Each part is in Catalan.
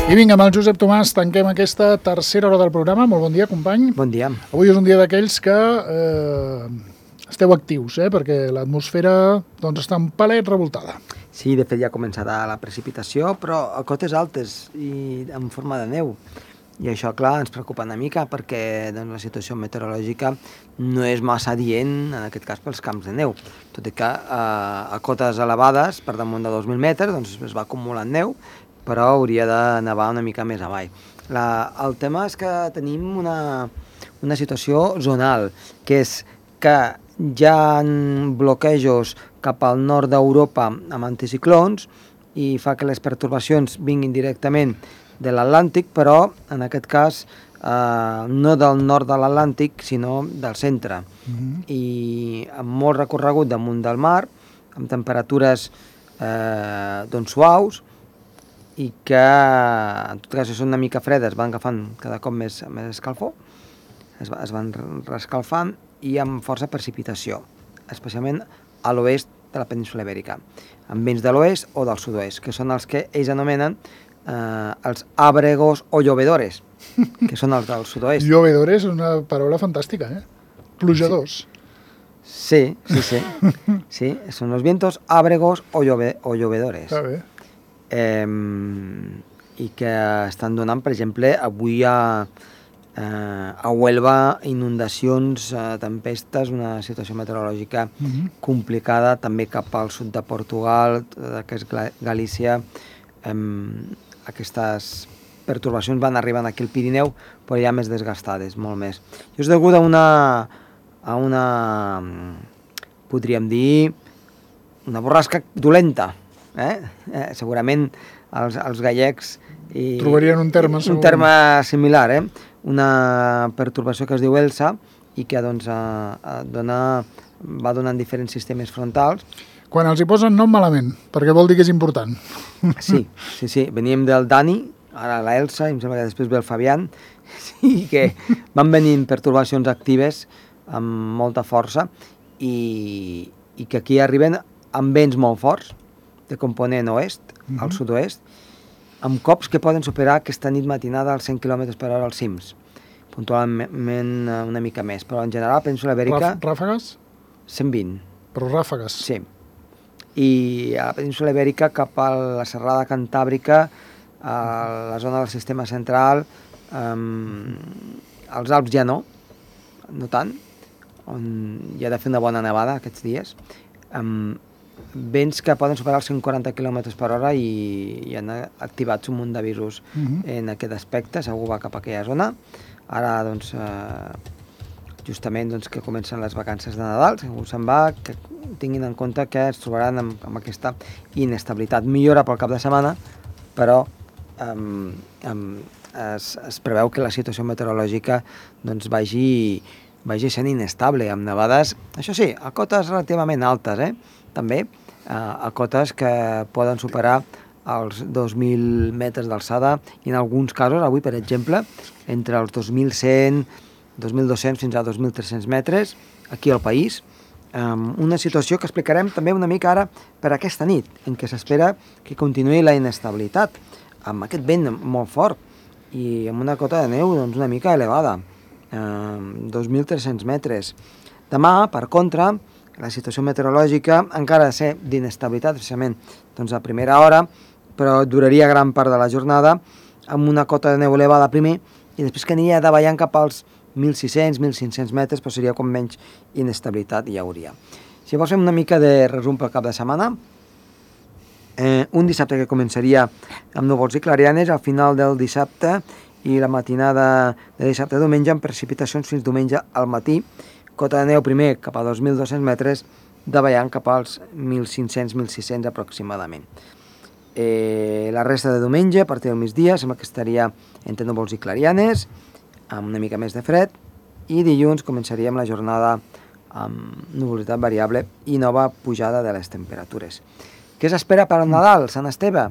I vinga, amb el Josep Tomàs tanquem aquesta tercera hora del programa. Molt bon dia, company. Bon dia. Avui és un dia d'aquells que esteu actius, perquè l'atmosfera està un palet revoltada. Sí, de fet ja ha començat la precipitació, però a cotes altes i en forma de neu. I això, clar, ens preocupa una mica perquè la situació meteorològica no és massa adient, en aquest cas, pels camps de neu. Tot i que a cotes elevades, per damunt de 2.000 metres, es va acumulant neu, però hauria de nevar una mica més avall. El tema és que tenim una situació zonal, que és que hi ha bloquejos cap al nord d'Europa amb anticiclons i fa que les pertorbacions vinguin directament de l'Atlàntic, però en aquest cas no del nord de l'Atlàntic, sinó del centre. I amb molt recorregut damunt del mar, amb temperatures suaus, i que, en tot cas, són una mica fredes, van agafant cada cop més escalfor, es van reescalfant i amb força precipitació, especialment a l'oest de la península Ibèrica, amb vents de l'oest o del sud-oest, que són els que ells anomenen els àbregos o llovedores, que són els del sud-oest. Llovedores és una paraula fantàstica, Plujadors. Sí, són els vientos àbregos o llovedores. Està bé. I que estan donant, per exemple, avui a Huelva inundacions, tempestes, una situació meteorològica complicada, també cap al sud de Portugal, que és Galícia. Aquestes pertorbacions van arribant aquí al Pirineu, però ja més desgastades, molt més. I és degut a una podríem dir, una borrasca dolenta. Segurament els gallecs trobarien un terme similar, una pertorbació que es diu Elsa i que va donant diferents sistemes frontals. Quan els hi posen nom malament, perquè vol dir que és important. Sí, veníem del Dani, ara la Elsa, i em sembla que després ve el Fabián, i que van venint pertorbacions actives amb molta força i que aquí arriben amb vents molt forts, de component oest, al sud-oest, amb cops que poden superar aquesta nit matinada als 100 km per hora als cims, puntualment una mica més, però en general, península Ibèrica... Ràfegues? 120. Però ràfegues? Sí. I a la península Ibèrica, cap a la serrada cantàbrica, a la zona del sistema central, als Alps ja no tant, on hi ha de fer una bona nevada aquests dies, vents que poden superar els 140 km per hora i han activats un munt d'avisos en aquest aspecte, segur va cap a aquella zona. Ara, justament que comencen les vacances de Nadal, segur se'n va, que tinguin en compte que es trobaran amb aquesta inestabilitat. Millora pel cap de setmana, però es preveu que la situació meteorològica vagi sent inestable, amb nevades, això sí, a cotes relativament altes, també a cotes que poden superar els 2.000 metres d'alçada i en alguns casos, avui per exemple, entre els 2.100, 2.200 fins a 2.300 metres aquí al país. Una situació que explicarem també una mica ara per aquesta nit, en què s'espera que continuï la inestabilitat, amb aquest vent molt fort i amb una cota de neu una mica elevada, 2.300 metres. Demà, per contra, la situació meteorològica encara ha de ser d'inestabilitat, precisament a primera hora, però duraria gran part de la jornada, amb una cota de neu elevada primer, i després que aniria davallant cap als 1.600, 1.500 metres, però seria com menys inestabilitat hi hauria. Si vols fem una mica de resum pel cap de setmana, un dissabte que començaria amb núvols i clarianes, al final del dissabte i la matinada de dissabte a diumenge, amb precipitacions fins diumenge al matí, cota de neu primer cap a 2.200 metres, davallant cap als 1.500, 1.600 aproximadament. La resta de diumenge, a partir del migdia, sembla que estaria entre núvols i clarianes, amb una mica més de fred, i dilluns començaríem la jornada amb nuvolositat variable i nova pujada de les temperatures. Què s'espera per al Nadal, Sant Esteve?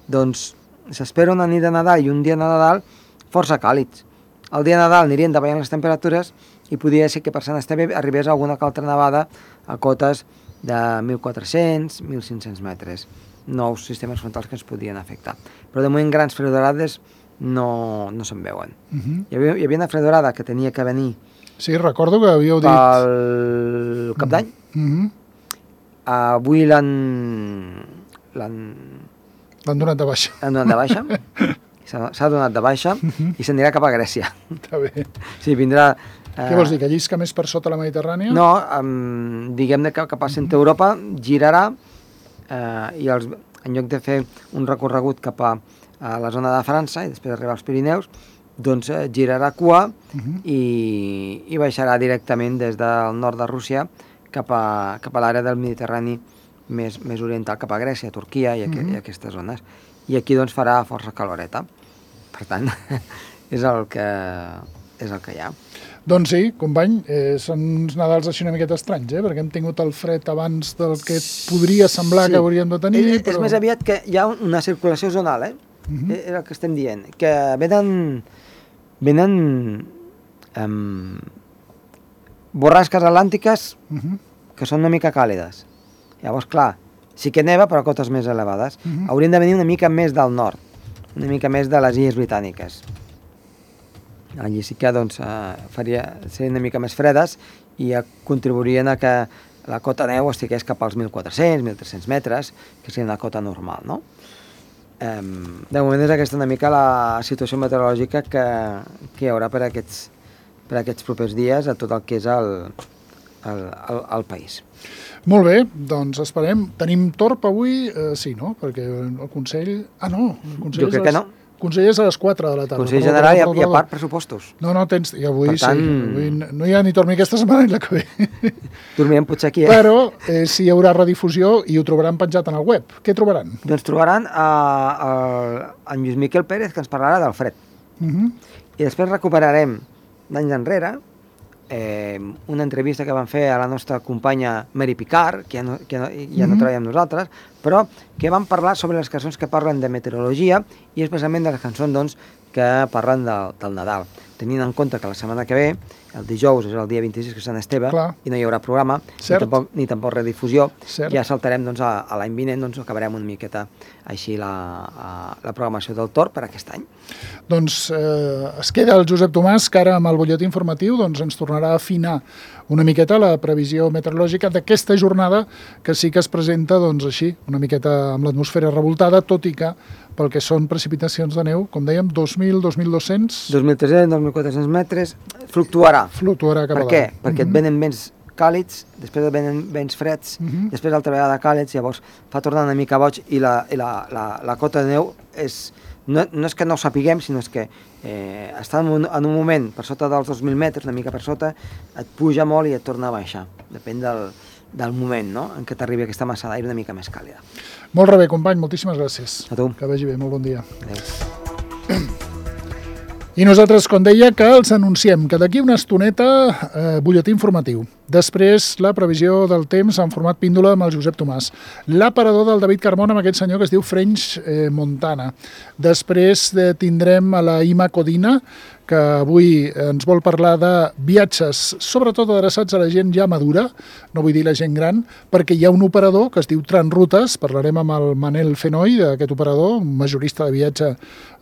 Doncs s'espera una nit de Nadal i un dia de Nadal força càlids. El dia de Nadal anirien davallant les temperatures i podria ser que per Sant Esteve arribés alguna altra nevada a cotes de 1.400, 1.500 metres. Nous sistemes frontals que ens podien afectar. Però de moment grans freddorades no se'n veuen. Hi havia una freddorada que tenia que venir Sí, recordo que havíeu dit... pel cap d'any. Avui l'han donat de baixa. L'han donat de baixa. S'ha donat de baixa i s'anirà cap a Grècia. Està bé. Sí, vindrà... Què vols dir, que llisca més per sota la Mediterrània? No, diguem-ne que cap a centre Europa girarà i en lloc de fer un recorregut cap a la zona de França i després arribar als Pirineus, doncs girarà cua i baixarà directament des del nord de Rússia cap a l'àrea del Mediterrani més oriental, cap a Grècia, Turquia i aquestes zones. I aquí doncs farà força caloreta. Per tant, és el que hi ha. Doncs sí, company, són uns Nadals així una miqueta estranys, perquè hem tingut el fred abans del que podria semblar que hauríem de tenir. És més aviat que hi ha una circulació zonal, és el que estem dient, que venen borrasques atlàntiques que són una mica càlides. Llavors, clar, sí que neva, però a cotes més elevades. Haurien de venir una mica més del nord, una mica més de les Illes Britàniques. Allí sí que doncs, serien una mica més fredes i contribuirien a que la cota neu estigués cap als 1.400, 1.300 metres, que seria una cota normal, no? De moment és aquesta una mica la situació meteorològica que hi haurà per aquests propers dies a tot el que és el país. Molt bé, doncs esperem. Tenim torb avui? Sí, no? Perquè el Consell... no, el Consell jo crec que no. El Consell és a les 4 de la tarda. Consell General i a part pressupostos. No, tens... I avui tant... sí. Avui no hi ha ni torni aquesta setmana ni la que ve. Dormirem potser aquí, Però sí hi haurà redifusió i ho trobaran penjat en el web. Què trobaran? Doncs trobaran en Lluís Miquel Pérez, que ens parlarà del fred. I després recuperarem d'anys enrere una entrevista que van fer a la nostra companya Mary Picard, que ja no treballa amb nosaltres, però que van parlar sobre les cançons que parlen de meteorologia i especialment de les cançons doncs, que parlen del Nadal. Tenint en compte que la setmana que ve, el dijous és el dia 26, que és Sant Esteve, i no hi haurà programa, ni tampoc redifusió, ja saltarem doncs, a l'any vinent, doncs acabarem una miqueta així la programació del Tor per aquest any. Doncs es queda el Josep Tomàs, que ara amb el butlletí informatiu doncs, ens tornarà a afinar una miqueta la previsió meteorològica d'aquesta jornada, que sí que es presenta doncs, així, una miqueta amb l'atmosfera revoltada, tot i que pel que són precipitacions de neu, com dèiem, 2.000, 2.200... 2.300, 2.400 metres, fluctuarà. Fluctuarà cap a dalt. Per què? Perquè et venen vents càlids, després et venen vents freds, després altra vegada càlids, llavors fa tornar una mica boig i la cota de neu no és que no ho sapiguem, sinó que està en un moment per sota dels 2.000 metres, una mica per sota, et puja molt i et torna a baixar. Depèn del moment, no?, en què t'arribi aquesta massa d'aire una mica més càlida. Molt bé, company, moltíssimes gràcies. A tu. Que vagi bé, molt bon dia. Adéu. I nosaltres, com deia, que els anunciem que d'aquí una estoneta butlletí informatiu. Després, la previsió del temps en format píndola amb el Josep Tomàs. L'aparador del David Carmona amb aquest senyor que es diu French Montana. Després tindrem a la Ima Codina, que avui ens vol parlar de viatges, sobretot adreçats a la gent ja madura, no vull dir la gent gran, perquè hi ha un operador que es diu Transrutes, parlarem amb el Manel Fenoi, d'aquest operador, un majorista de viatge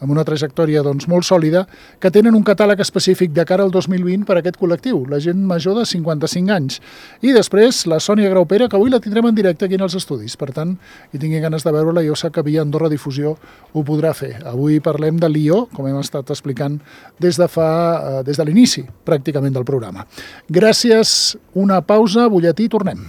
amb una trajectòria doncs, molt sòlida, que tenen un catàleg específic de cara al 2020 per a aquest col·lectiu, la gent major de 55 anys. I després la Sònia Graupera, que avui la tindrem en directe aquí en els estudis, per tant, qui tingui ganes de veure-la, jo sé que via Andorra Difusió ho podrà fer. Avui parlem de Lió, com hem estat explicant des de l'inici, pràcticament, del programa. Gràcies, una pausa, butlletí, tornem.